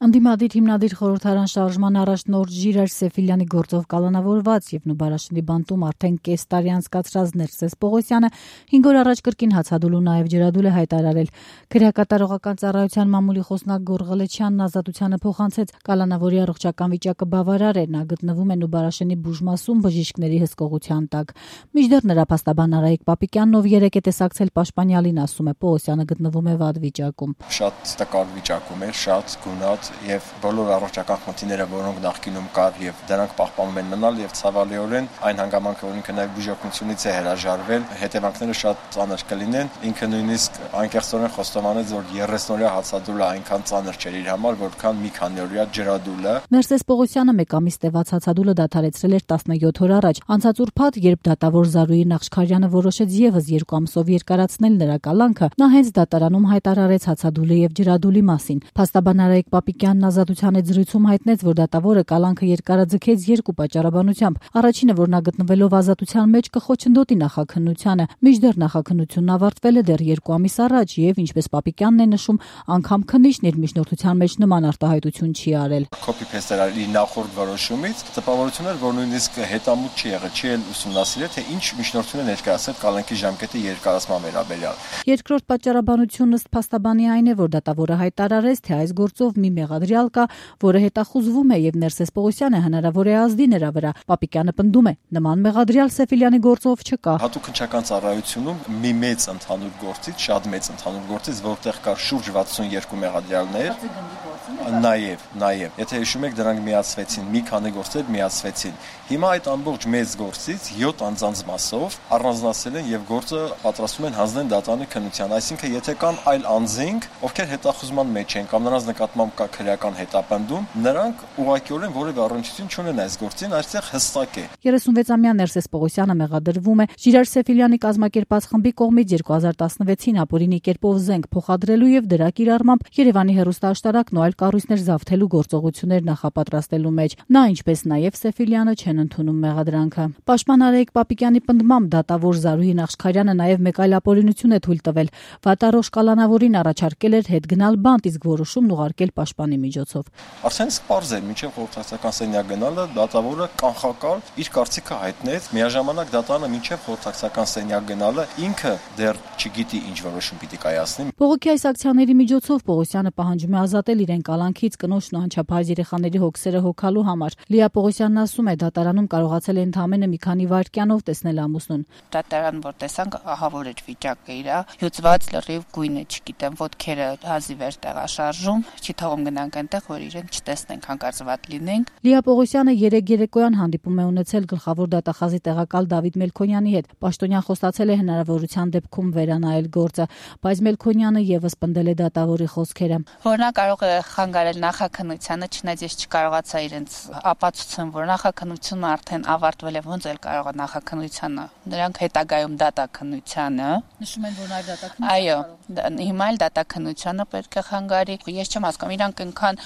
Ընդդիմադիր հիմնադիր խորհրդարան շարժման առաջնորդ Ժիրայր Սեֆիլյանի գործով կալանավորված եւ Նուբարաշնի բանտում արդեն կես տարի անցկացրած Ներսես Պողոսյանը 5 օր առաջ կրկին հացադուլ ու նաեւ ջրադուլ է հայտարարել։ Քրեակատարողական ծառայության մամուլի խոսնակ Գոռ Ղլեչյանն ազատությանը փոխանցեց կալանավորի առողջական վիճակը բավարար է, նա գտնվում է Նուբարաշնի բուժմասում բժիշկների հսկողության տակ։ Մինչդեռ նրա փաստաբան Արայիկ Պապիկյանն, ով երեկ է տեսակցել Պաշտպանյալին, ասում է Պողոսյանը գտնվում է վատ վիճակում։ Շատ տկար վիճակում է, շատ գունատ եւ բոլոր առողջական խնդիրները, որոնք նախկինում կար եւ դրանք պահպանում են մնալ եւ ցավալիորեն այն հանգամանքը, որ ինքը նաեւ բուժօգնությունից է հրաժարվել, հետևանքները շատ ծանր կլինեն։ Ինքը նույնիսկ անկեղծորեն խոստովանեց, որ 30-օրյա հացադուլը այնքան ծանր չէր իր համար, որքան մի քանի օրյա ջրադուլը։ Ներսես Պողոսյանը մեկ ամիս տևած հացադուլը դադարեցրել էր 17 օր առաջ։ Անցած ուրբաթ, երբ դատավոր Զարուհի Նախշքարյանը որոշեց եւս 2 ամսով երկարացնել նրա կալանքը, նա հենց դատարանում հայտարարեց հացադուլի եւ ջրադուլի մասին։ Փաստաբան Արայիկ Պապիկյանն ազատության հետ զրույցում հայտնեց, որ դատավորը կալանքը երկարաձգեց 2 պատճառաբանությամբ։ Առաջինը, որ նա գտնվելով ազատության մեջ կխոչընդոտի նախաքննությանը, մինչդեռ նախաքննությունն ավարտվել է դեռ 2 ամիս առաջ եւ, ինչպես Պապիկյանն է նշում, անգամ քննիչն իր միջնորդության մեջ նման արտահայտություն չի արել։ Copy-paste արի նախորդ որոշումից, տպավորություն էր, որ նույնիսկ հետամուտ չի եղել, չի էլ ուսումնասիրել, թե ինչ միջնորդություն է ներկայացել կալանքի ժամկետի երկարացման վերաբերյալ։ Երկրորդ պատճառաբանությունն ըստ փաստաբանի այն է, որ դատավորը հայտարարեց, թե այս գործով մի մեղադրյալ կա, որը հետախուզվում է եւ Ներսես Պողոսյանը հնարավոր է ազդի նրա վրա։ Պապիկյանը պնդում է, նման մեղադրյալ Սեֆիլյանի գործով չկա։ Հատուկ քննչական ծառայությունում մի մեծ ընդհանուր գործից, շատ մեծ ընդհանուր գործից, որտեղ կար շուրջ 62 մեղադրյալներ, նաեւ, եթե հիշում եք, դրանք միացվեցին, մի քանի գործեր միացվեցին։ Հիմա այդ ամբողջ մեծ գործից 7 անձանց մասով առանձնացել են եւ գործը պատրաստում են հանձնել դատարանի քննության, այսինքն եթե կան այլ անձինք, ովքեր հետախուզման մեջ են կամ նրանց նկատմամբ կա քրեական հետապնդում, նրանք ուղղակիորեն որևէ առնչություն չունեն այս գործին, այստեղ հստակ է։ 36-ամյա Ներսես Պողոսյանը մեղադրվում է Ժիրայր Սեֆիլյանի կազմակերպած խմբի կողմից 2016-ին ապօրինի կերպով զենք փոխադրելու եւ դրա կիրառմամբ Երևանի հեռուստաաշտարակն ու այլ կառույցներ զավթելու գործողություններ նախապատրաստելու մեջ։ Նա, ինչպես նաեւ Սեֆիլյանը, չեն ընդունում մեղադրանքը։ Պաշտպան Արայիկ Պապիկյանի պնդմամբ դատավոր Զարուհի Նախշքարյանը նաեւ մեկ այլ ապօրինություն է թույլ տվել։ Վատառողջ կալանավորին առաջարկել էր հետ գնալ բանտ, իսկ որոշումն ուղարկել պաշտպանի միջոցով։ Արդեն սպառզ էր, մինչև խորհրդակցական սենյակ գնալը դատավորը կանխակալ իր կարծիքը հայտնեց, միաժամանակ դատարանը մինչև խորհրդակցական սենյակ գնալը ինքը դեռ չգիտի ինչ որոշում պիտի կայացնի։ Բողոքի այս ակցիաների միջոցով Պողոսյանը պահանջում է ազատել իրեն կալանքից կնոջն ու անչափահաս երեխաների հոգսերը հոգալու համար։ Լիա Պողոսյանն ասում է, դատարանում կարողացել է ընդամենը մի քանի վայրկյանով տեսնել ամուսնուն։ Դատարան որ տեսանք, ահավոր էր վիճակը իրա, հյուծված լրիվ գույնը, չգիտեմ, ոտքերը հազիվ էր տեղաշարժում, չի թողում գնանք այնտեղ, որ իրեն չտեսնենք, հանկարծ վատ լինենք։ Լիա Պողոսյանը երեկոյան հանդիպում է ունեցել գլխավոր դատախազի տեղակալ Դավիթ Մելքոնյանի հետ։ Պաշտոնյան խոստացել է հնարավորության դեպքում վերանայել գործը, բայց Մելքոնյանը եւս պնդել է դատավորի խոսքերը։ Որ նա կարող է խանգարել նախաքննությանը, չնայած ես չկարողացա իրենց ապացուցեմ, որ նախաքննությունը արդեն ավարտվել է, ոնց էլ կարող է նախաքննությանը։ Նրանք հետագայում դատաքննությանը նշում են, որ նաև դատաքննությունը։ Այո, հիմա էլ դատաքննությանը պետք է խանգարի։ Ես չեմ հասկանում, իրանք այնքան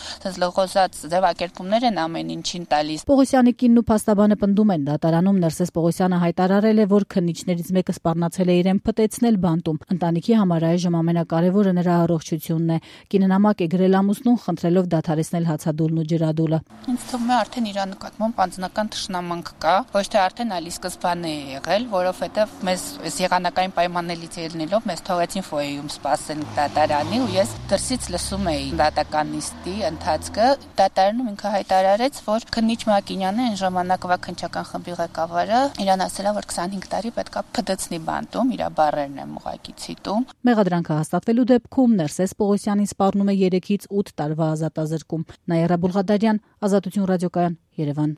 լղոզած ձևակերպումներ են ամեն ինչին տալիս։ Պողոսյանի կինն ու փաստաբանը պնդում են, դատարանում Ներսես Պողոսյանը հայտարարել է, որ քննիչներից մեկը սպառնացել է իրեն փտեցնել բանտում։ Ընտանիքի համար այժմ ամենակարևորը նրա առողջությունն է։ Կինը նամակ է գրել ամուսնուն, խնդրելով դադարեցնել հացադուլն ու ջրադուլը։ Ինձ թվում է արդեն իր նկատմամբ անձնական թշնամանք կա, ոչ թե արդեն ալի սկզբանե է եղել, որովհետև մեզ այս եղանակային պայմաններից ելնելով մեզ թողեցին ֆոյեում սպասել դատարանի ու ես դրսից լսում էի դատականիստի ընթացքը։ Դատարանում ինքը հայտարարեց, որ քննիչ Մակինյանը այն ժամանակվա քննչական խմբի ղեկավարը իրան ասել է, որ 25 տարի պետքա փդցնի բանտում, իր բառերն եմ ուղղակի ցիտում։ Մեղադրանքը հաստատվելու դեպքում Ներսես Պողոսյանին սպառնում է 3-ից 8 տարվա ազատազրկում։ Նաիրա Բուլղադարյան, Ազատություն ռադիոկայան, Երևան։